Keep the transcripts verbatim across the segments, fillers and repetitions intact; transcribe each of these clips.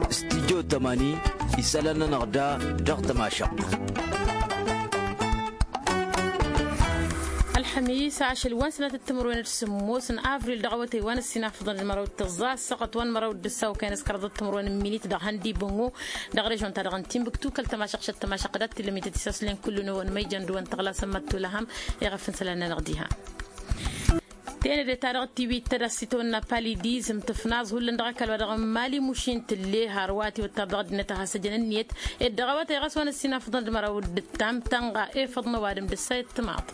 Studyo tămani isălan-nănăɣ da dăɣ-tămašăɣt. Ălxămis ašăl wa n-sănatăt timǝrwen d-sǝmmos n-avril dăɣ-awătay wa n-ăssinafăḍăn d-măraw d-tăẓẓa ăssăɣăt wa n-măraw d-ǝssaw kăyăn s-kăraḍăt timǝrwen n-minit dăɣ-hăn d-ibǝnnu dăɣ-režon-ta-dăɣ n-timbuktu kăl-tămašăɣt šăt tămašăɣt dat-t-illa mităt isaslen kullu n-ewăn ma ijăn d-ewăn tăɣlasăn mad-tulăhăm. Iɣăf n-isălan-nănăɣ diha. Tenăde-ta-dăɣ tiwit tădast s-itawănna palidizm tǝfnaẓ hullan dăɣ-ăkall wa dăɣ-n mali mušin tǝlle har wa tiwăttar dăɣ-ăddinăt a has-ăjăn ǝnniyăt ed dăɣ-awătay ɣas wa n-ăssinafăḍăn d-măraw d-ǝttam tănɣa efăḍ n-ăwadǝm d-ăssayăt timaḍ.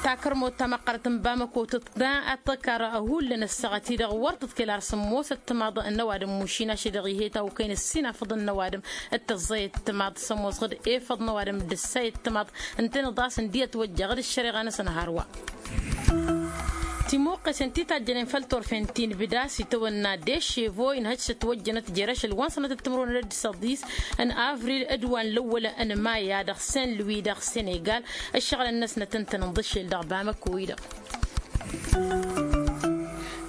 Takărmot tamăqqărăt n-bamăko tǝḍḍa ad-tăkar hullan ăssaɣăt-i-dăɣ wăr tǝḍkăl ar sǝmmosăt timaḍ n-ăwadǝm mušin ašăl-i-dăɣ ih'-e tawkăyăn ăssinafăḍăn n-ăwadǝm d-tăẓẓayăt timaḍ s-ămoosăɣ-dd efăḍ n-ăwadǝm d-ăssayăt timaḍ ǝntăneḍ a-s ǝndi ătwăjjaɣ d-ăššăreɣa-năsăn hărwa. Timuqqesen ti tajjănen făll-turfen ti n-ibda s-itawănna d-eše vo inhăj s-ătwăjjănăt jer-ašăl wa n-sănatăt timǝrwen d-săḍis n-avril d-wa n-lăwwăl n-maya dăɣ-sen luwi dăɣ-senegal. Ăššăɣǝlăn-năsnăt ǝntăneḍ ašăl dăɣ-bamăko-i-dăɣ.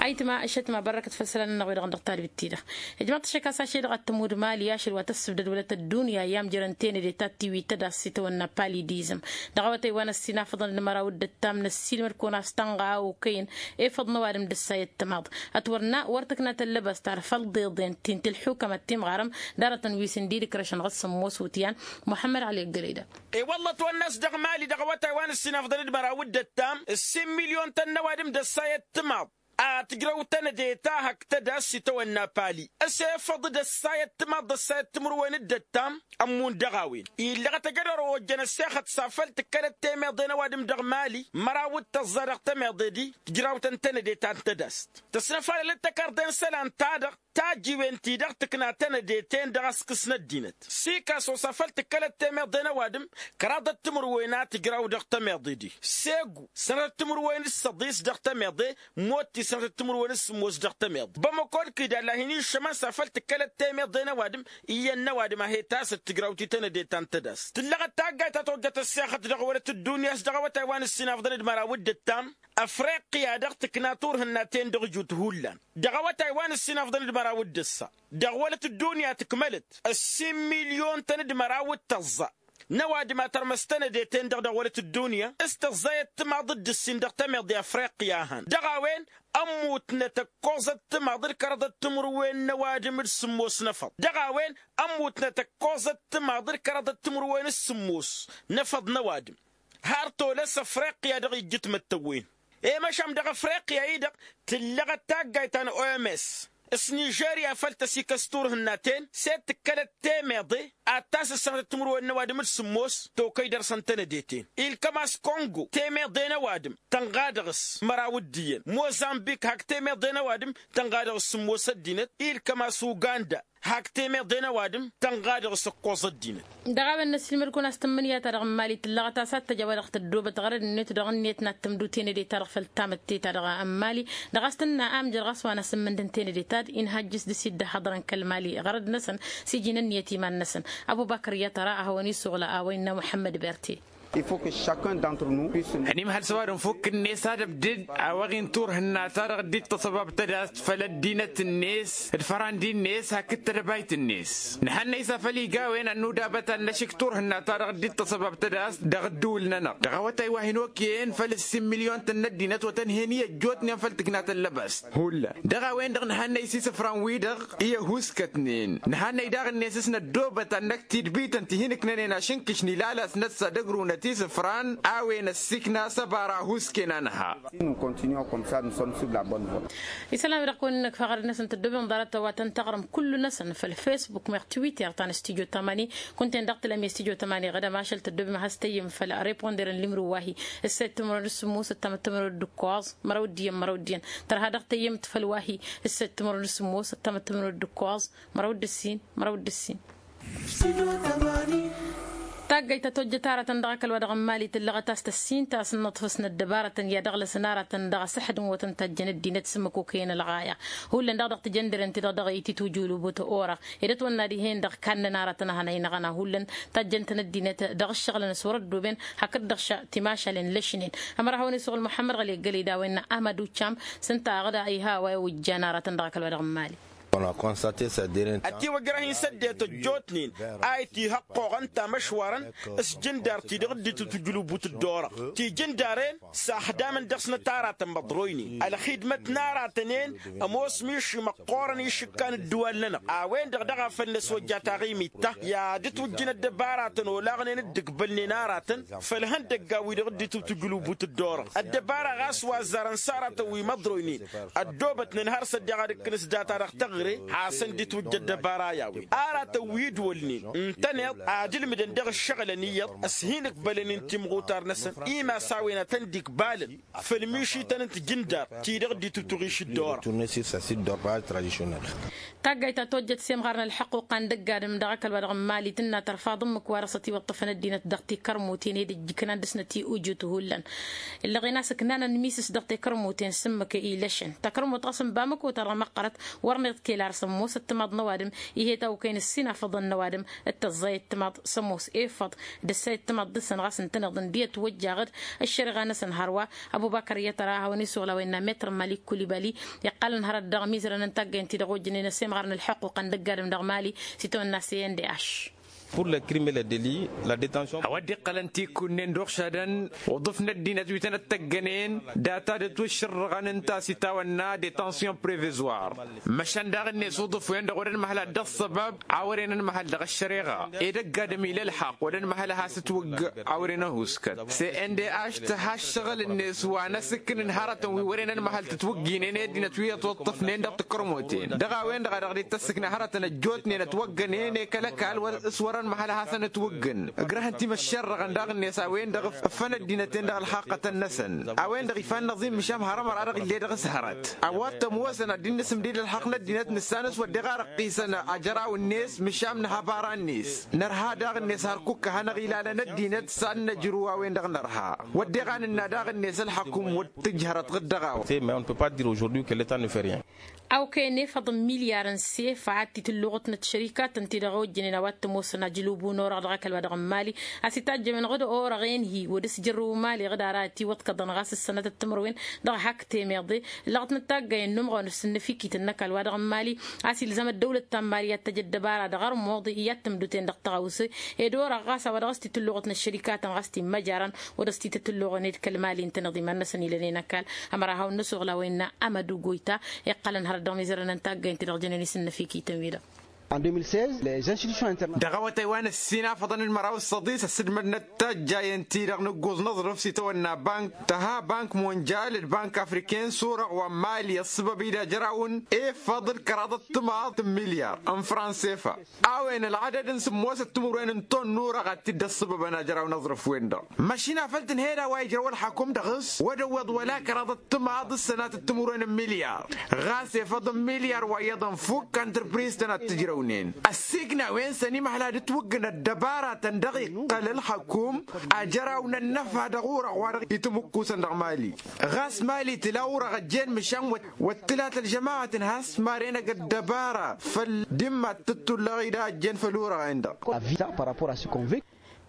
Ayǝtma ăššătma bărrăkăt făll-isălan-nănăɣ-wi-dăɣ dăɣ-talbit-ti-dăɣ. Ijmăḍ-t ašăk a-s ašăl-i-dăɣ ad-tămud mali ašăl wa tăssǝbdăd wălăt ăddunya i-amjărăn tenăde ta tiwit tădast s-itawănna palidizm. Dăɣ-awătay wa n-ăssinafăḍăn d-măraw d-ǝttam năssiilmăd-kăwăn a-s tănɣa okăyăn efăḍ n-ăwadǝm d-ǝssayăt timaḍ. Ătwărna wăr tǝkna tăllăbăst ar făll-iḍeḍen ti n-tǝlḥukămăt timɣarăm d-arătăn wi s-ǝndidǝkrăšăn ɣas sămmos wutyan. Muḥămmăd ăli ăggălăy-dăɣ. I-wălla ătwănna a-s dăɣ-mali dăɣ-awătay wa n-ăssinafăḍăn d-măraw d-ǝttam ǝssin milyon-tăn n-ăwadǝm d-ăssayăt timaḍ. Ad-tǝjrăw tenăde ta hak tădast s-itawănna pali s-efăḍ d-ăssayăt timaḍ d-ăssayăt timǝrwen d-ǝttam. Ămmun dăɣ-a-wen illăɣăt ejădor ojjăn ăssexăt s-afăl tǝkkălăt temeḍe n-ăwadǝm dăɣ-mali măraw d-tăẓẓa dăɣ-temeḍe-di. Tǝjraw-tăn tenăde ta n-tădast tăsnăfalălăt tăkarḍe n-isălan ta dăɣ-tajjiwen-ti-dăɣ tǝkna tenăde-ten dăɣ-askǝs n-ăddinăt. Sikaso s-afăl tǝkkălăt temeḍe n-ăwadǝm kăraḍăt timǝrwen a tǝjraw dăɣ-temeḍe-di segu sănatăt timǝrwen d-săḍis dăɣ-temeḍe. Motti sănatăt timǝrwen d-sǝmmos dăɣ-temeḍe bămăko d-kidalla hin-iššămăn s-afăl tǝkkălăt temeḍe n-ăwadǝm. Iyyăn n-ăwadǝm a he-tasăt tǝjraw-t i-tenăde ta n-tădast tǝllăɣăt taggayt ta tojjăt ăssexăt dăɣ-wălăt ăddunya a-s dăɣ-awătay wa n-ǝssinafḍăn d-măraw d-ǝttam. Ăfriqya-dăɣ tǝkna turhǝnna-ten dăɣ-jut hullan dăɣ-awătay wa n-ǝssinafḍăn d-măraw d-ǝssa dăɣ-wălăt ăddunya tǝkmălăt ăssin milyon-tăn d-măraw d-tăẓẓa n-ăwadǝm a tărmăs tenăde-ten-dăɣ dăɣ-wălăt ăddunya s-tăẓẓayăt timaḍ d-ǝssin dăɣ-temeḍe ăfriqya a hăn dăɣ-a-wen. Ămmutnăt ǝkkoẓăt timaḍ d-kăraḍăt timǝrwen n-ăwadǝm d-sǝmmos n-efăḍ dăɣ-a-wen ămmutnăt ǝkkoẓăt timaḍ d-kăraḍăt timǝrwen s-sǝmmos n-efăḍ n-ăwadǝm. Har tolăs ăfriqya dăɣ-ijjǝtmăt tăwwen i-măšan dăɣ-afriqya-i-dăɣ tǝllăɣăt taggayt ta n-oms s-nižerya făl tăsikăs turhǝnna-ten s-e-d tǝkkălăt temeḍe ad-tasǝssănătăt timǝrwen n-ăwadǝm d-sǝmmos. Tokăy dăr-săn tenăde-ten ilkăm a-s kongo temeḍe n-ăwadǝm tănɣa dăɣ-s măraw dd-iyyăn mozambik hak temeḍe n-ăwadǝm tănɣa dăɣ-s sǝmmos ăddinăt ilkăm a-s uganda hak temeḍe n-ăwadǝm tănɣa dăɣ-s ǝkkoẓ ăddinăt. Dăɣ-a-wen n-ăssilmăd-kăwăn a-s tǝmmǝnǝya-ta-dăɣ n-mali tǝllăɣăt a-s ad-tăj a-wa-dăɣ tăddoobăt ɣărăd-net dăɣ-net n-ad-tǝmdu tenăde-ta-dăɣ făll-tamǝtte-ta-dăɣ n-mali. Dăɣ-a-s tǝnna amjăr ɣas wa n-asǝmmǝndăn tenăde-ta-dd inhajjǝs dăr-s iddăhhăḍărăn kăl-mali ɣărăd-năsăn s-iji n-ǝnniyăt iman-năsăn. Ăbubăkăr i-ad-tăra ad-hawăn-isuɣǝl a-wa innă muḥămmăd berte. Ănimhăl s-ăwadǝm fukk-net ad-ăbdǝd a-wa ɣin turhǝnna-ta-dăɣ dd-tăsăbab tădast făll-ăddinăt-net d-fărandi-net hakd tedăbayt-net. Nǝhănnăy s-afăl iga a-wen ad-nudabăt ad-năšǝk turhǝnna-ta-dăɣ dd-tăsăbab tădast dăɣ-ǝddǝwǝl-nănăɣ dăɣ-awătay wa hin-okăyăn făll-ǝssin milyon-tăn n-ăddinăt wa tăn-hen-i ăjjootnen făll-tǝkna tăllăbast. Hullan dăɣ-a-wen-dăɣ nǝhănnăy s-isǝfran-wi-dăɣ i-ăhuskătnen nǝhannăy daɣ-net s-năddoobăt ad-năkk tidbităn ti hin-ǝknănen ašǝnkǝš n-ilalăsnăt s-ad-ăgrunăt isǝfran a-wen ăssiikna s-ăbara ăhuusken anha. Isălan-wi-dăɣ kăwăn-in-ăkfa ɣărăd-năsăn tăddoobem ḍarăt wa tăn-taɣrǝm kullu-năsăn făll-facebook meɣ twitter ta n-studyo tamani. Kunta-en dăɣ-tǝlăm i-studyo tamani ɣădăm ašăl tăddoobem ad-has-tăyyǝm făll-reponder n-limru wa-hi ǝssăyăt timǝrwen d-sǝmmos ăttamăt timǝrwen d-ǝkkoẓ măraw d-iyyăn măraw d-iyyăn tărha dăɣ-tăyyǝmt făll-wa-hi ǝssăyăt timǝrwen d-sǝmmos ăttamăt timǝrwen d-ǝkkoẓ măraw d-ǝssin măraw d-ǝssin. Taggayt ta tojjăt aratăn dăɣ-ăkall wa dăɣ-n mali tǝllăɣăt a-s tăssin ta s-ǝnnăḍfăs n-ăddăbarătăn i-ad-ăɣlăsăn aratăn dăɣ-asǝḥdǝm wa tăn-tajjăn ăddinăt s-ǝmmǝk okăyăn ălɣaya. Hullan daɣ dăɣ-tijăndăren-ti-dăɣ dăɣ-ititujulubut orăɣ ed ătwănna dihen-dăɣ kannăn aratăn ad-hanăynăɣăn a hullan tajjăn-tăn ăddinăt dăɣ-ǝššăɣǝlăn s-wăr-ăddoben hakd-dăɣ timašalen lăšnen. Ămăra hawăn-isuɣǝl muḥămmăd ɣăli ăggălăy d-a-wa innă ahmăd uccam s-ǝnta a ɣǝda iha a-wa iwǝjjan aratăn dăɣ-ăkall wa dăɣ-n mali. Ătiwăjrăh-in s-ăddinăt ăjjootnen a itihăqqoɣăn tamăšwarăn s-jǝndar-ti-dăɣ dd-tǝtwǝjlǝwbut dd-orăɣ tijǝndaren s-axdamăn dăɣ-snăt aratăn măḍroynen ălxidmăt n-aratăn-en. Ămoos miši măqqoorăn išǝkkan ǝddǝwal-nănăɣ a-wen-dăɣ dăɣ-afăl n-ăswăjja taɣimit-ta i-ad-ǝtwǝjjǝn ăddăbaratăn olaɣnen dd-ǝkbălnen aratăn făll-ihăndăggan-wi-dăɣ dd-itǝwtǝjǝlǝwbut dd-orăɣ ăddăbara ɣas wa ăzzarăn s-aratăn wi măḍroynen. Ăddoobătnen har s-ăddiɣ ad-ǝkkǝn s-data dăɣ-teɣăre hasăn-dd-itwǝjja ăddăbara i-a-wen aratăn wi ǝdwălnen ǝntăneḍ ad-ǝlmǝdăn dăɣ-ǝššăɣǝlăn iyyăḍ s-hin-ǝkbălăn-in timɣutar-năsăn. Imass a-wen ad-tăn-dd-ikbalăn făll-mišităn n-tijǝndar ti-dăɣ dd-itǝtwăɣiš dd-orăɣ. Taggayt ta tojjăt s-imɣarăn ălḥăqquqa n-dăgg-adǝm dăɣ-ăkall wa dăɣ-n mali tǝnna tărfaḍ ǝmmǝk-wa-dăɣ s-ătiwăṭṭăfăn ăddinăt dăɣ-tikărmuten ed ǝjjǝknan dăɣ-snăt i-ujǝt hullan. Ǝllăɣen a-s ǝknanăn miss-s dăɣ-tikărmuten s-ǝmmǝk ilăšăn takărmut ɣas n-bamăko-ta-dăɣ măqqărăt. Wăr-nǝḍkăl ar s-ămoos ăttămaḍ n-ăwadǝm ih'-e tawkăyăn ǝssin afăḍăn n-ăwadǝm d-tăẓẓay ăttămaḍ s-ămoos efăḍ d-ăssay ăttămaḍ dăɣ-săn ɣas ǝntăneḍ ǝndiyăt wăjjaɣ-dd ăššăreɣa-năsăn hărwa. Ăbubăkăr iyyăt ăra a hawăn-isuɣǝl a-wa innă metr n-mali kulibali iqqalăn hărăt dăɣ-mizărăn n-taggăyăn-ti-dăɣ ojănen ăsemɣarăn ălḥuqquq n-dăgg-adǝm dăɣ-mali s-itawănna s-e n d h. Pur lăkrim lădeli. Lădetansyon a-wa dd-iqqălăn tikunnen d-uɣšadăn uḍǝf n-ăddinăt wi tăn-ăttăggănen data d-ătwǝššărrăɣăn ǝnta a-s itawănna detansion prevezwar. Măšan daɣ-net uḍǝf-wen-dăɣ wăr-ănmăhăl ad-dd-ăṣṣăbab a wăren ănmăhăl dăɣ-ăššăreɣa. Edăgg adǝm ila ălḥaqq wăr-ănmăhăl a has-ǝtwǝgg a wăren ăhuuskăt s-e n d h tǝha ăššăɣǝl-net wa n-asǝkkǝnǝn hărătăn wi wăren ănmăhăl tǝtwǝgginen i-ăddinăt wi ătwăṭṭăfnen dăɣ-tǝkărmoten dăɣ-a-wen-dăɣ a dăɣ-dd-tăssǝkna hărătăn ăjjootnen ătwăggănen i-kăl-ăkall s-wăr-ănmăhăl a hasăn-ǝtwǝggǝn. Ǝgrăhăn timăššerrăɣăn daɣ-net a-wen-dăɣ ǝffăn ăddinăt-en dăɣ-ălxaqqătăn-năsăn a-wen-dăɣ ifa ănnăẓim măšan hărămăra dăɣ-ill'-e dăɣ-s hărăt. A-wa t-ămoosăn ad-dd-nǝsǝmdǝy d-ălxaqq n-ăddinăt nǝssanăs wădden a răqqisăn ajăraw-net măšan nǝha bara-net. Nărha daɣ-net hărkuk a hanăɣ-ilalăn ăddinăt s-ad-năjrǝw a-wen-dăɣ nărha wădden a nǝnna daɣ-net ălxăkum wăr tǝjhărăt ɣǝd-dăɣ a-wa. Awkăyăn efăḍ n-milyar n-sefa ad-t-tǝlluɣătnăt šărikatăn-ti-dăɣ ojjănen a-wa t-ămoosăn ajǝlubu n-orăɣ dăɣ-ăkall wa dăɣ-n mali a-s itajjămăn ɣǝd orăɣ-en hi-wăr dd-s jărrǝw mali ɣǝd ara ătiwăḍkăḍăn ɣas ǝssănăt d-timǝrwen. Dăɣ-hak temeḍe ǝllăɣătnăt taggăyăn n-umɣăwăn s-ǝnnǝfikităn n-ăkall wa dăɣ-n mali a-s ilzam ăddăwlăt ta n-mali i-ad-tăj ăddăbara dăɣ-armuḍ i-ad-tǝmdǝten dăɣ-tăɣawse. Ed orăɣ ɣas a-wa dăɣ-s t-tǝlluɣătnăt šărikatăn ɣas t-immăjarăn wăr-s t-tǝlluɣăn ed kăl-mali ǝntăneḍ iman-năsăn ilănen ăkall. Ămăra hawăn-năsuɣǝl a-wa innă amădu goyta iqqălăn hărăt dăɣ-mizărăn n-taggăyăn-ti-dăɣ jănen isǝnnăfikităn-wi-dăɣ. Dăɣ-awătay wa n-ǝssin afăḍăn d-măraw d-săḍis ăssǝdmădnăt tajjayăn-ti-dăɣ nǝgguẓ n-aẓrǝf s-itawănna bank tăha bank monjal d-bank afriken s-orăɣ wa n-mali ăṣṣăbăb-dd ajăraw n-efăḍ d-kăraḍăt timaḍ n-milyar n-fransefa. A-wen ălɣădăd n-sǝmmosăt timǝrwen n-ton n-orăɣ ad-t-dd-ăṣṣăbăbăn ajăraw n-aẓrǝf-wen-dăɣ. Măšin a făl tǝnhăyăd a-wa ijrăw ălxakum dăɣ-s wăr-ăwweḍ wăla kăraḍăt timaḍ s-sănatăt timǝrwen n-milyar. Ɣas efăḍ n-milyar wa iyyăḍ ănfuk antrăpriz-tăn ad-t-ǝjrăwnen ăssiikna a-wen s-ănimăhla d-ǝtwǝggǝn ăddăbaratăn dăɣ-iqqăl ălxakum ajăraw n-ănnăfa dăɣ-orăɣ wa dăɣ-itǝmǝkkusăn dăɣ-mali. Ɣas mali tǝla orăɣ ăjjeen măšan wăt wăr t-tǝla tălžămaɣăt n-has-maren ăgg-ăddăbara făll-dimma t-tǝttulăɣ-dd a ăjjeen făll-orăɣen-dăɣ.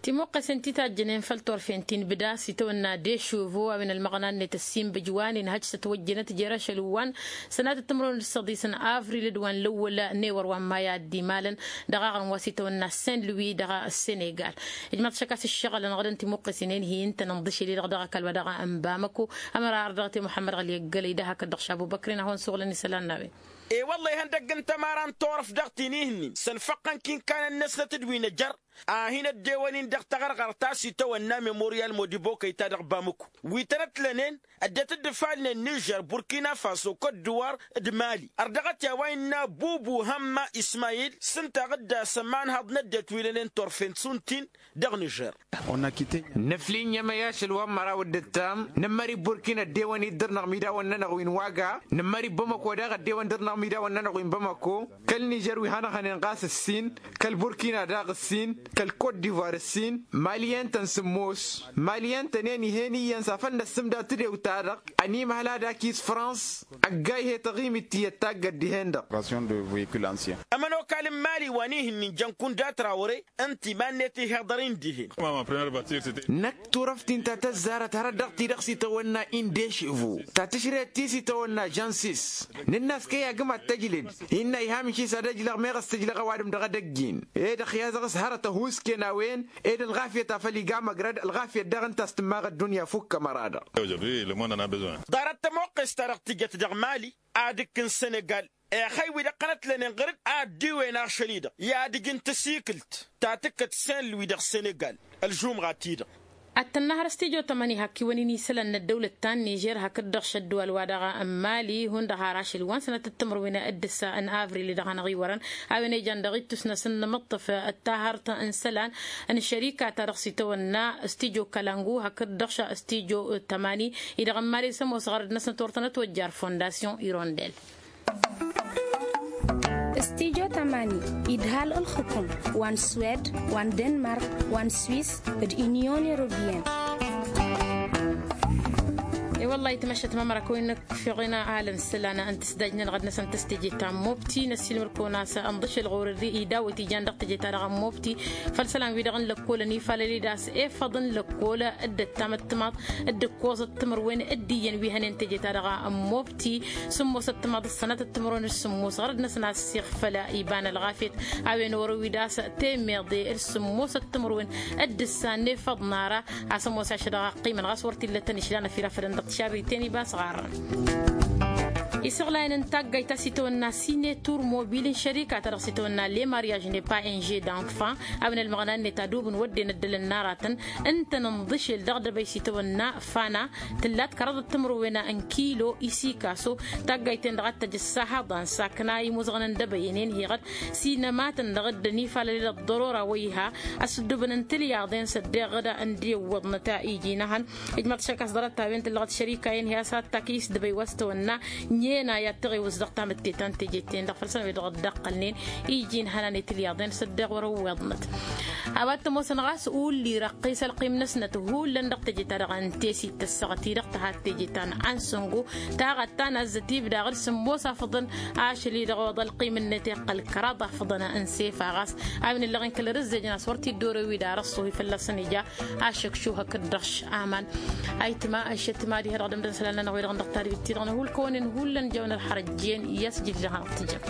Timuqqesen ti tajjănen făll-turfen ti n-bǝda s-itawănna d-ešuvo a-wen ălmăɣna-net ăssiinbǝj wa n-inhăj s-ătwăjjănăt jer-ašăl wa n-sănatăt timǝrwen d-săḍis n-avril d-wa n-lăwwăl n-ewăr wa n-maya d-imalăn. Dăɣ-aɣrǝm wa s-itawănna saint louis dăɣ-senegal. Ijmaḍ šăkk a-s ǝššăɣǝlăn ɣădăn timuqqesen-en hi-ǝntănăn ḍǝšel-i-dăɣ dăɣ-ăkall wa dăɣ-n bamăko. Ămăra ardăɣăt i-muḥămmăd ɣăli ăggălăy d-ahak dd-ăɣšabubăkrin ad-hawăn-suɣǝlăn isălan n-a-wen. E-wălla ihăndăgg n-tămara n-turăft dăɣ-tinihǝnnin sănfăqqăn kinkanăn-năsnăt d-wi n-ajăr a hin-ăddewăn-in dăɣ-taɣărɣărt ta s-itawănna memoryal modibokăy ta dăɣ-bamăko wi tăn-ătlănen. Ăddinăt dd-ǝfalnen nižer burkina faso kot-duwar d-mali ărdăɣăt i-a-wa innă bubu hămma ismayil s-ǝnta a ɣǝdda s-ămanhăḍ n-ăddinăt wi lănen turfen suntin. Dăɣ-nižer. Nǝflǝy n-emăy ašăl wa n-măraw d-ǝttam nǝmmări burkina ăddewăn-dd dăr-năɣ imidawăn-nănăɣ wi n-waga nǝmmări bamăko daɣ ăddewăn dăr-năɣ imidawăn-nănăɣ wi n-bamăko. Kăl-nižer wi hanăɣ-hănen ɣas ǝssin kăl-burkina daɣ ǝssin kăl-kot-divoir ǝssin. Mali ǝntăn sǝmmos mali ǝntănen ih'-en iyyăn s-afăl năssǝmda tǝdewt-ta-dăɣ ănimăhăl ad-akis frans. Ăgg-a ih'-e taɣimit tiyyăt taggăt dihen-dăɣ. Ămănokal n-mali wa n-ihǝnnin jăn kunda trawre ǝnta iman-net ihiḍăr-in dihen. Năkk turăft-in ta tăzzarăt hărăt dăɣ-ti-dăɣ s-itawănna indešivo ta tǝšret ti s-itawănna žănsis. Nǝnn'-as kăy-agǝm. Mad-tăjled innă iha mǝnšis ad-ăjlăɣ meɣ ăstǝjlăɣ ăwadǝm dăɣ-edăgg-in. Ed ăxyaẓăɣ s-hărăt ăhuusken a-wen ed ălɣafyăt a făl iga măgrăd ălɣafyăt daɣ ǝnta a-s tǝmmaɣ ăddunya fukk ămăra-dăɣ. Ḍarăt tămoqqes-ta-dăɣ tǝjăt dăɣ-mali ad-ǝkk n-sănegal. Ixăywi-dăɣ qănătlănen ɣăr-dd a ăddiwen ašăl-i-dăɣ i-ad-ǝj n-tăsikǝlt ta tǝkkăt senlǝwi dăɣ-sănegal ălžumɣa-ti-dăɣ. Ad-tănnăhăr s-tijo tămani hakk-iwăn-in isălan n-ăddăwlăt ta n-nižer hakd-dăɣ šăddǝwal-wa-dăɣ n-mali hundăɣ har ašăl wa n-sănatăt timǝrwen d-ǝssa n-avril-i-dăɣ hanăɣ-iwărăn a-wen ejan dăɣ-ittus-năsăn n-imǝṭṭǝf d-tahărt n-isălan n-šărika-ta-dăɣ s-itawănna s-tijo kalangu hakd-dăɣ s-tijo tămani-i-dăɣ n-mali s-ămoos ɣărăd-năsnăt wăr tănătwăjjar fondasyon irondel. S-tijo tămani idhal ǝlxǝkǝm wa n-swed wa n-denmark wa n-swis d-inyon europyen. E-wălla-hi tămašat mamăra kăwăn-năkk fiɣen alăn isălan n-tǝsdaj-nănăɣ ad-năsăn tăs-teje ta n-mobti năssiilmăr-kăwăn a-s ănḍǝšel ɣur-dd idawăt ijan dăɣ-teje-ta-dăɣ n-mobti făll-isălan-wi-dăɣ n-lăkkol ănifalăl-dd a-s efăḍăn lăkkol dd-ăttamăttămaḍ dd-ǝkkoẓăt timǝrwen d-iyyăn wi hănen teje-ta-dăɣ n-mobti sǝmmosăt timaḍ d-sănatăt timǝrwen d-sǝmmos ɣărăd-năsăn a-s iɣfăl iba n-ălɣafyăt a-wen orăw-dd a-s temeḍe d-sǝmmosăt timǝrwen d-ǝssan efăḍ n-ara a-s ămoos ašăl dăɣ-ăqqimăn ɣas wăr t-illa tăn-išlan ăfirafădăn dăɣ-tišabiten iba s-ɣarrăn. Isăɣlayăn n-taggayt ta s-itawănna sinetur mobil n-šărika ta dăɣ-s itawănna le mariaž ne pa inže danfan a-wen ălmăɣna-net adub n-wădden ăddălăn n-aratăn ǝntăn ǝnḍǝšel dăɣ-dăbăy s-itawănna fana tǝllat kăraḍăt timǝrwen n-kilo isikaso. Taggayt-en-dăɣ ad-tăj ăssahaḍan sakna imuzăɣăn n-dăbăyen-en heɣăd s-inămatăn-dăɣ dd-ănifalăl ăḍḍărora wa iha ăsdubăn n-tilyaḍen s-ăddeɣ d-ăndiwwăḍnăt iji n-ehăn. Ijmăḍ šăkas ḍarăt-a-wen tǝllăɣăt šărika-en hi-a-s ad-takǝy s-dăbăy wa s-tawănna n-ena i-ad-tăɣewǝs dăɣ-tamǝtte ta n-teje-ten-dăɣ făll-săn wi-dăɣ dd-ăqqălnen iji n-ihănan i-tilyaḍen s-ăddeɣ wăr-ăwweḍnăt. A-wa t-ămoosăn ɣas ulli răqqis ălqim-năsnăt hullan dăɣ-teje-ta-dăɣ n-tesit tăssăɣăt-i-dăɣ tăhat teje ta n-ansăngo taɣăt ta n-azzăt ibdaɣ d-sǝmmos afǝḍăn ašăl-i-dăɣ oḍ ălqim-net iqqăl kăraḍ afǝḍăn n-sefa ɣas a-wen ǝllăɣen kăl-ărǝzzejăn a-s wăr t-dd-orew-dd arăṣṣuhi fălla-săn ija ašăkšu hakd-dăɣ š-aman. Ayǝtma ăššăt ma diha-dăɣ dămdăn isălan-nănăɣ wi-dăɣ n-dăɣ-tadbit-ti-dăɣ n-hulkăwăn-in hullan jawăn ălxărăjjen i-asǝjǝj dăɣ-hanăɣ-tǝjjăm.